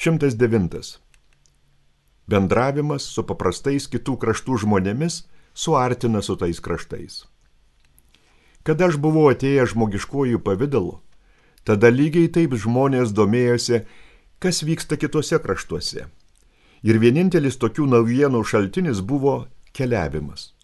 109. Bendravimas su paprastais kitų kraštų žmonėmis suartina su tais kraštais. Kada aš buvau atėjęs žmogiškuoju pavidalu, tada lygiai taip žmonės domėjosi, kas vyksta kitose kraštuose. Ir vienintelis tokių naujienų šaltinis buvo keliavimas.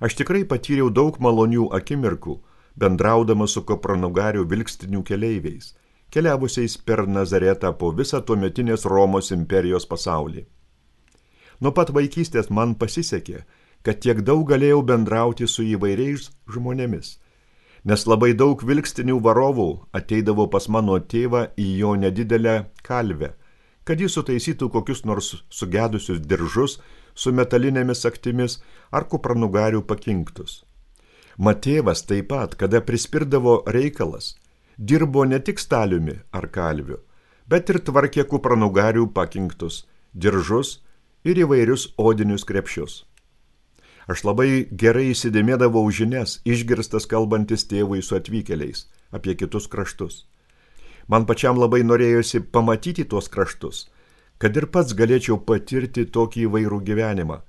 Aš tikrai patyriau daug malonių akimirkų, bendraudamas su kupranugarių vilkstinių keleiviais, keliavusiais per Nazaretą po visą tuometinės Romos imperijos pasaulį. Nuo pat vaikystės man pasisekė, kad tiek daug galėjau bendrauti su įvairiais žmonėmis, nes labai daug vilkstinių varovų ateidavo pas mano tėvą į jo nedidelę kalvę, kad jis sutaisytų kokius nors sugedusius diržus su metalinėmis aktimis ar kupranugarių pakinktus. Matėvas taip pat, kada prispirdavo reikalas, dirbo ne tik staliumi ar kalviu, bet ir tvarkė kupranugarių pakinktus, diržus ir įvairius odinius krepšius. Aš labai gerai įsidėmėdavau žinias, išgirstas kalbantis tėvui su atvykėliais apie kitus kraštus. Man pačiam labai norėjosi pamatyti tuos kraštus, kad ir pats galėčiau patirti tokį įvairų gyvenimą,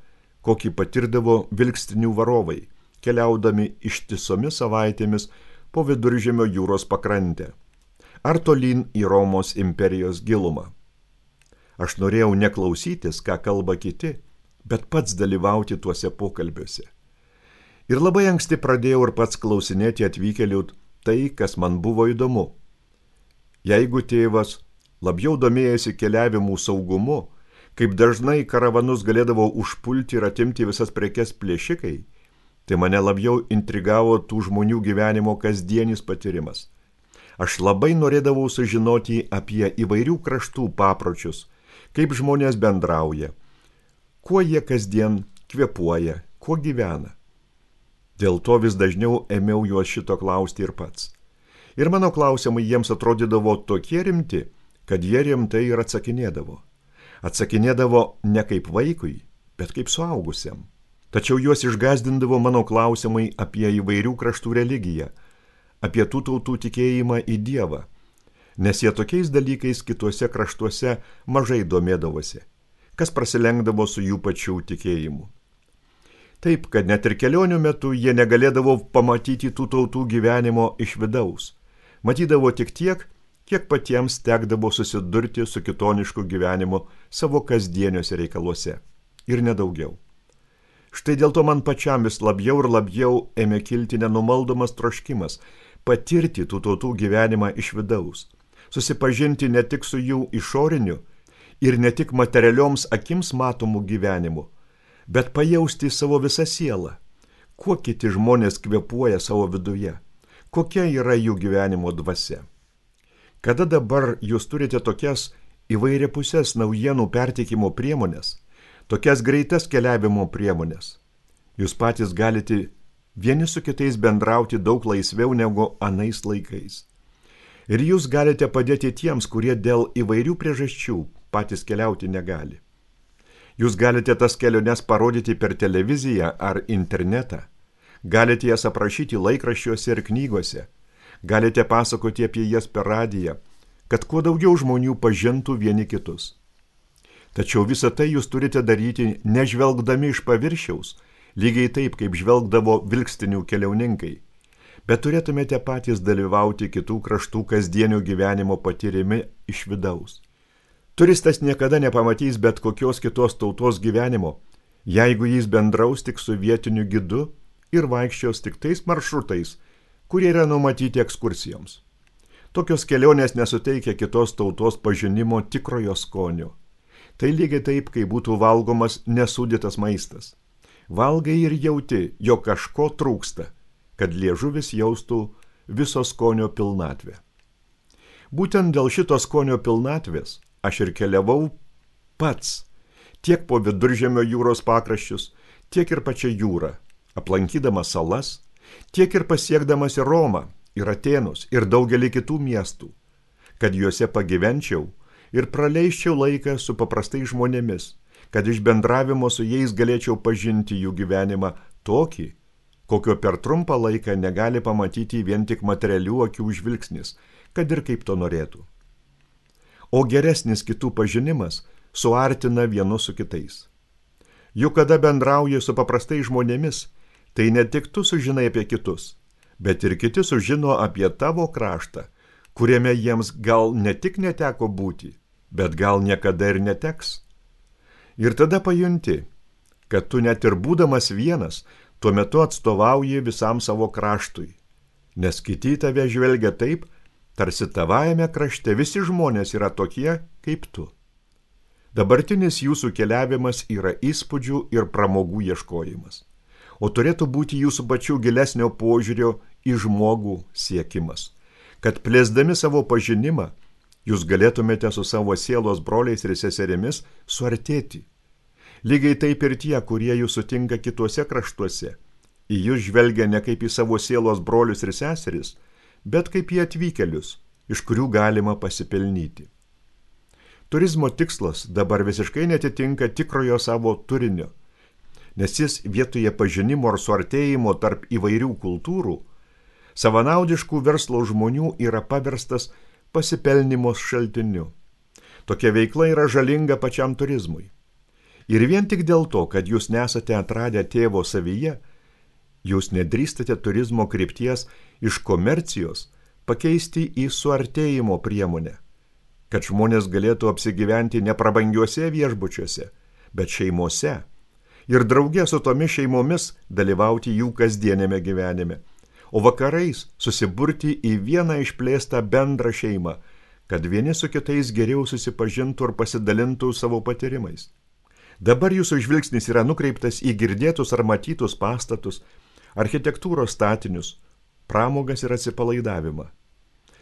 kokį patirdavo vilkstinių varovai, keliaudami ištisomis savaitėmis po Viduržemio jūros pakrantę, ar tolyn į Romos imperijos gilumą. Aš norėjau neklausytis, ką kalba kiti, bet pats dalyvauti tuose pokalbiuose. Ir labai anksti pradėjau ir pats klausinėti atvykėlių tai, kas man buvo įdomu. Jeigu tėvas labiau domėjasi keliavimų saugumu, kaip dažnai karavanus galėdavo užpulti ir atimti visas prekes plėšikai, tai mane labiau intrigavo tų žmonių gyvenimo kasdienis patyrimas. Aš labai norėdavau sužinoti apie įvairių kraštų papročius, kaip žmonės bendrauja, kuo jie kasdien kvėpuoja, kuo gyvena. Dėl to vis dažniau ėmiau juos šito klausti ir pats. Ir mano klausimai jiems atrodydavo tokie rimti, kad jie rimtai ir atsakinėdavo. Atsakinėdavo ne kaip vaikui, bet kaip suaugusiam. Tačiau juos išgąsdindavo mano klausimai apie įvairių kraštų religiją, apie tų tautų tikėjimą į Dievą, nes jie tokiais dalykais kituose kraštuose mažai domėdavosi, kas prasilenkdavo su jų pačių tikėjimu. Taip, kad net ir kelionių metu jie negalėdavo pamatyti tų tautų gyvenimo iš vidaus. Matydavo tik tiek, kiek patiems tekdavo susidurti su kitonišku gyvenimu savo kasdieniuose reikaluose. Ir nedaugiau. Štai dėl to man pačiam vis labiau ir labiau ėmė kilti nenumaldomas troškimas patirti tų tautų gyvenimą iš vidaus, susipažinti ne tik su jų išoriniu ir ne tik materialioms akims matomų gyvenimu, bet pajausti savo visą sielą, kuo kiti žmonės kvėpuoja savo viduje, kokia yra jų gyvenimo dvasia. Kada dabar jūs turite tokias įvairiapusės naujienų perteikimo priemonės, tokias greitas keliavimo priemonės, jūs patys galite vieni su kitais bendrauti daug laisviau negu anais laikais. Ir jūs galite padėti tiems, kurie dėl įvairių priežasčių patys keliauti negali. Jūs galite tas keliones parodyti per televiziją ar internetą, galite jas aprašyti laikraščiuose ir knygose, galite pasakoti apie jas per radiją, kad kuo daugiau žmonių pažintų vieni kitus. Tačiau visą tai jūs turite daryti nežvelgdami iš paviršiaus, lygiai taip, kaip žvelgdavo vilkstinių keliauninkai, bet turėtumėte patys dalyvauti kitų kraštų kasdienio gyvenimo patyrimi iš vidaus. Turistas niekada nepamatys bet kokios kitos tautos gyvenimo, jeigu jis bendraus tik su vietiniu gidu ir vaikščios tik tais maršrutais, kurie yra numatyti ekskursijoms. Tokios kelionės nesuteikia kitos tautos pažinimo tikrojo skonio. Tai lygiai taip, kai būtų valgomas nesūdytas maistas. Valgai ir jauti, jog kažko trūksta, kad liežuvis jaustų viso skonio pilnatvę. Būtent dėl šito skonio pilnatvės aš ir keliavau pats, tiek po Viduržemio jūros pakraščius, tiek ir pačią jūrą, aplankydamas salas, tiek ir pasiekdamas į Romą, ir Atėnus, ir daugelį kitų miestų, kad juose pagyvenčiau ir praleisčiau laiką su paprastais žmonėmis, kad iš bendravimo su jais galėčiau pažinti jų gyvenimą tokį, kokio per trumpą laiką negali pamatyti vien tik materialių akių žvilgsnis, kad ir kaip to norėtų. o geresnis kitų pažinimas suartina vienus su kitais. Juk kada bendrauji su paprastais žmonėmis, tai ne tik tu sužinai apie kitus, bet ir kiti sužino apie tavo kraštą, kuriame jiems gal ne tik neteko būti, bet gal niekada ir neteks. Ir tada pajunti, kad tu net ir būdamas vienas, tuo metu atstovauji visam savo kraštui, nes kiti tave žvelgia taip, tarsi tavajame krašte visi žmonės yra tokie kaip tu. Dabartinis jūsų keliavimas yra įspūdžių ir pramogų ieškojimas, o turėtų būti jūsų pačių gilesnio požiūrio į žmogų siekimas, kad plėsdami savo pažinimą, jūs galėtumėte su savo sielos broliais ir seserimis suartėti. Lygiai taip ir tie, kurie jūs sutinka kituose kraštuose, į jūs žvelgia ne kaip į savo sielos brolius ir seseris, bet kaip į atvykėlius, iš kurių galima pasipelnyti. Turizmo tikslas dabar visiškai netitinka tikrojo savo turinio, nes jis vietoje pažinimo ar suartėjimo tarp įvairių kultūrų, savanaudiškų verslo žmonių yra paverstas pasipelnimo šaltiniu. Tokia veikla yra žalinga pačiam turizmui. Ir vien tik dėl to, kad jūs nesate atradę tėvo savyje, jūs nedrįstate turizmo krypties iš komercijos pakeisti į suartėjimo priemonę, kad žmonės galėtų apsigyventi ne prabangiuose viešbučiuose, bet šeimose ir drauge su tomis šeimomis dalyvauti jų kasdienėme gyvenime, o vakarais susiburti į vieną išplėstą bendrą šeimą, kad vieni su kitais geriau susipažintų ir pasidalintų savo patyrimais. Dabar jūsų žvilgsnis yra nukreiptas į girdėtus ar matytus pastatus, architektūros statinius, pramogas ir atsipalaidavimą,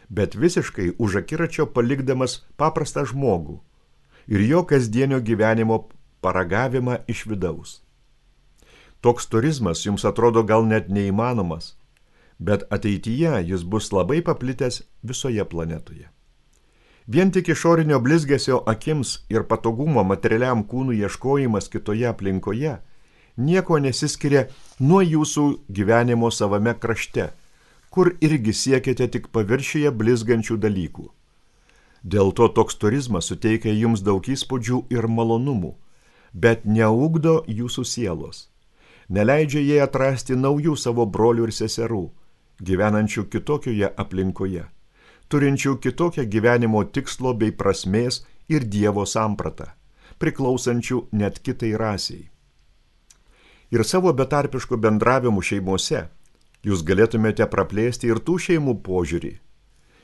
bet visiškai už akiračio palikdamas paprastą žmogų ir jo kasdienio gyvenimo paragavimą iš vidaus. Toks turizmas jums atrodo gal net neįmanomas, bet ateityje jis bus labai paplitęs visoje planetoje. Vien tik išorinio blizgesio akims ir patogumo materialiam kūnų ieškojimas kitoje aplinkoje nieko nesiskiria nuo jūsų gyvenimo savame krašte, kur irgi siekiate tik paviršiuje blizgančių dalykų. Dėl to toks turizmas suteikia jums daug įspūdžių ir malonumų, bet neugdo jūsų sielos, neleidžia jai atrasti naujų savo brolių ir seserų, gyvenančių kitokioje aplinkoje, turinčių kitokią gyvenimo tikslo bei prasmės ir Dievo sampratą, priklausančių net kitai rasiai. Ir savo betarpiškų bendravimų šeimose jūs galėtumėte praplėsti ir tų šeimų požiūrį.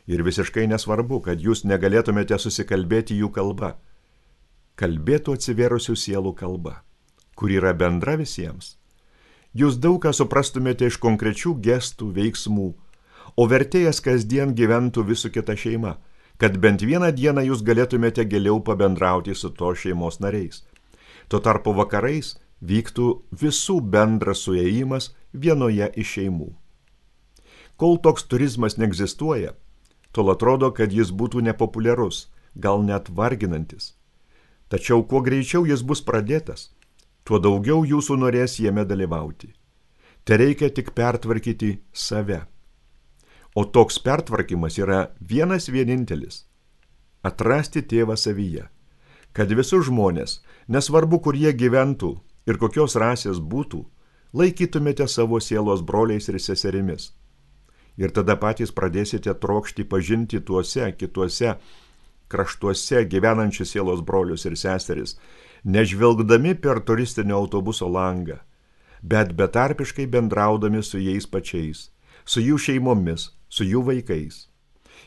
Ir visiškai nesvarbu, kad jūs negalėtumėte susikalbėti jų kalba. Kalbėtų atsivėrusių sielų kalba, kur yra bendra visiems. Jūs daug ką suprastumėte iš konkrečių gestų, veiksmų, o vertėjas kasdien gyventų visų kita šeima, kad bent vieną dieną jūs galėtumėte giliau pabendrauti su to šeimos nariais. Tuo tarpu vakarais vyktų visų bendras suėjimas vienoje iš šeimų. Kol toks turizmas neegzistuoja, tol atrodo, kad jis būtų nepopuliarus, gal net varginantis. Tačiau kuo greičiau jis bus pradėtas, tuo daugiau jūsų norės jame dalyvauti. Tereikia tik pertvarkyti save. O toks pertvarkymas yra vienas vienintelis – atrasti tėvą savyje, kad visus žmonės, nesvarbu kur jie gyventų ir kokios rasės būtų, laikytumėte savo sielos broliais ir seserimis. Ir tada patys pradėsite trokšti pažinti tuose kituose kraštuose gyvenančius sielos brolius ir seseris, nežvelgdami per turistinio autobuso langą, bet betarpiškai bendraudami su jais pačiais, su jų šeimomis, su jų vaikais.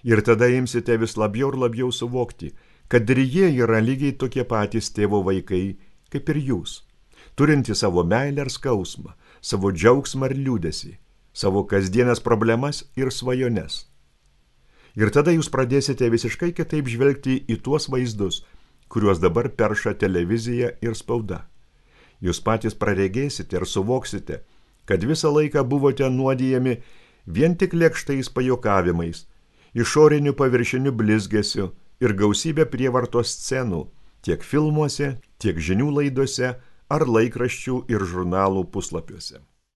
Ir tada imsite vis labiau ir labiau suvokti, kad ir jie yra lygiai tokie patys tėvo vaikai, kaip ir jūs, turinti savo meilę ir skausmą, savo džiaugsmą ir liūdesį, savo kasdienės problemas ir svajones. Ir tada jūs pradėsite visiškai kitaip žvelgti į tuos vaizdus, kuriuos dabar perša televizija ir spauda. Jūs patys praregėsite ir suvoksite, kad visą laiką buvote nuodijami vien tik lėkštais pajokavimais, išoriniu paviršiniu blizgesiu ir gausybė prievartos scenų, tiek filmuose, tiek žinių laidose ar laikraščių ir žurnalų puslapiuose.